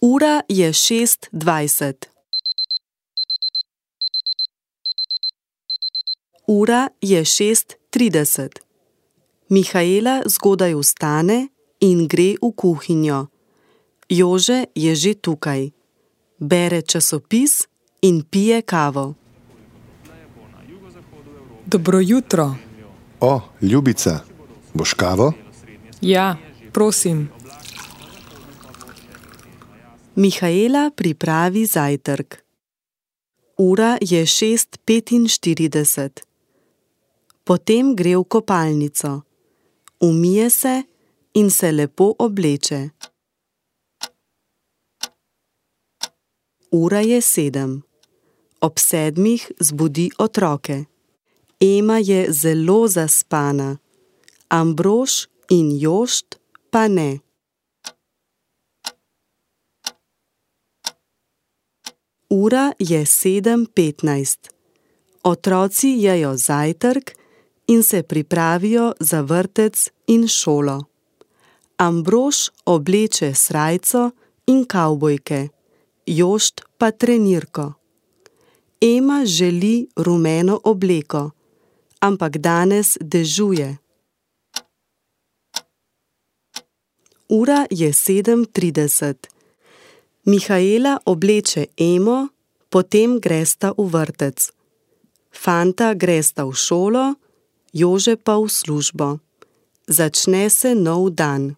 Ura je 6:20. Ura je 6:30. Mihaela zgodaj vstane in gre v kuhinjo. Jože je že tukaj. Bere časopis in pije kavo. Dobro jutro. O, Ljubica, boš kavo? Ja, prosim. Mihaela pripravi zajtrk. Ura je 6:45. Potem gre v kopalnico. Umije se in se lepo obleče. Ura je 7. Ob 7 zbudi otroke. Ema je zelo zaspana. Ambrož in Jošt pa ne. Ura je 7:15. Otroci jejo zajtrk in se pripravijo za vrtec in šolo. Ambrož obleče srajco in kavbojke, Jošt pa trenirko. Ema želi rumeno obleko, ampak danes dežuje. Ura je 7:30. Mihaela obleče Emo, potem gresta v vrtec. Fanta gresta v šolo, Jože pa v službo. Začne se nov dan.